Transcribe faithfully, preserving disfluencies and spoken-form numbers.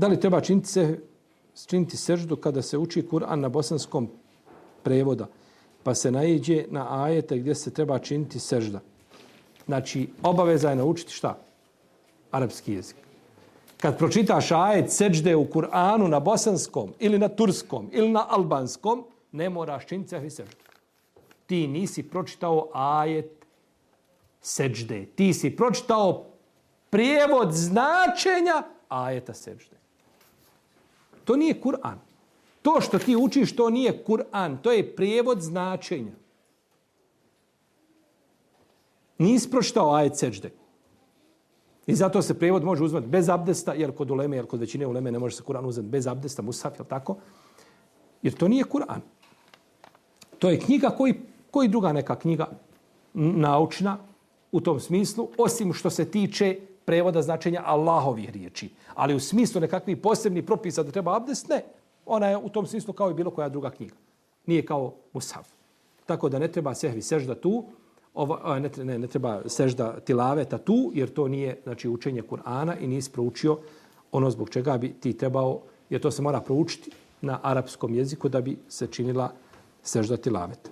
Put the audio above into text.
Da li treba činiti, se, činiti seždu kada se uči Kur'an na bosanskom prevoda, pa se naiđe na ajete gdje se treba činiti sežda? Znači, obaveza je naučiti šta? Arapski jezik. Kad pročitaš ajet sežde u Kur'anu na bosanskom ili na turskom ili na albanskom, ne moraš činiti sehvi seždu. Ti nisi pročitao ajet sežde. Ti si pročitao prijevod značenja ajeta sežde. To nije Kur'an. To što ti učiš, to nije Kur'an. To je prijevod značenja. Nisi pročitao ajet sežde. I zato se prijevod može uzmati bez abdesta, jer kod uleme, jer kod većine uleme ne može se Kur'an uzeti bez abdesta, musaf, jel tako? Jer to nije Kur'an. To je knjiga koji, koji druga neka knjiga naučna u tom smislu, osim što se tiče prevoda značenja Allahovih riječi. Ali u smislu nekakvih posebnih propisa da treba abdest, ne. Ona je u tom smislu kao i bilo koja druga knjiga. Nije kao musaf. Tako da ne treba sehvi sežda tu, Ovo, ne, ne, ne treba sežda tilaveta tu, jer to nije znači, učenje Kur'ana i nisi proučio ono zbog čega bi ti trebao, jer to se mora proučiti na arapskom jeziku da bi se činila sežda tilaveta.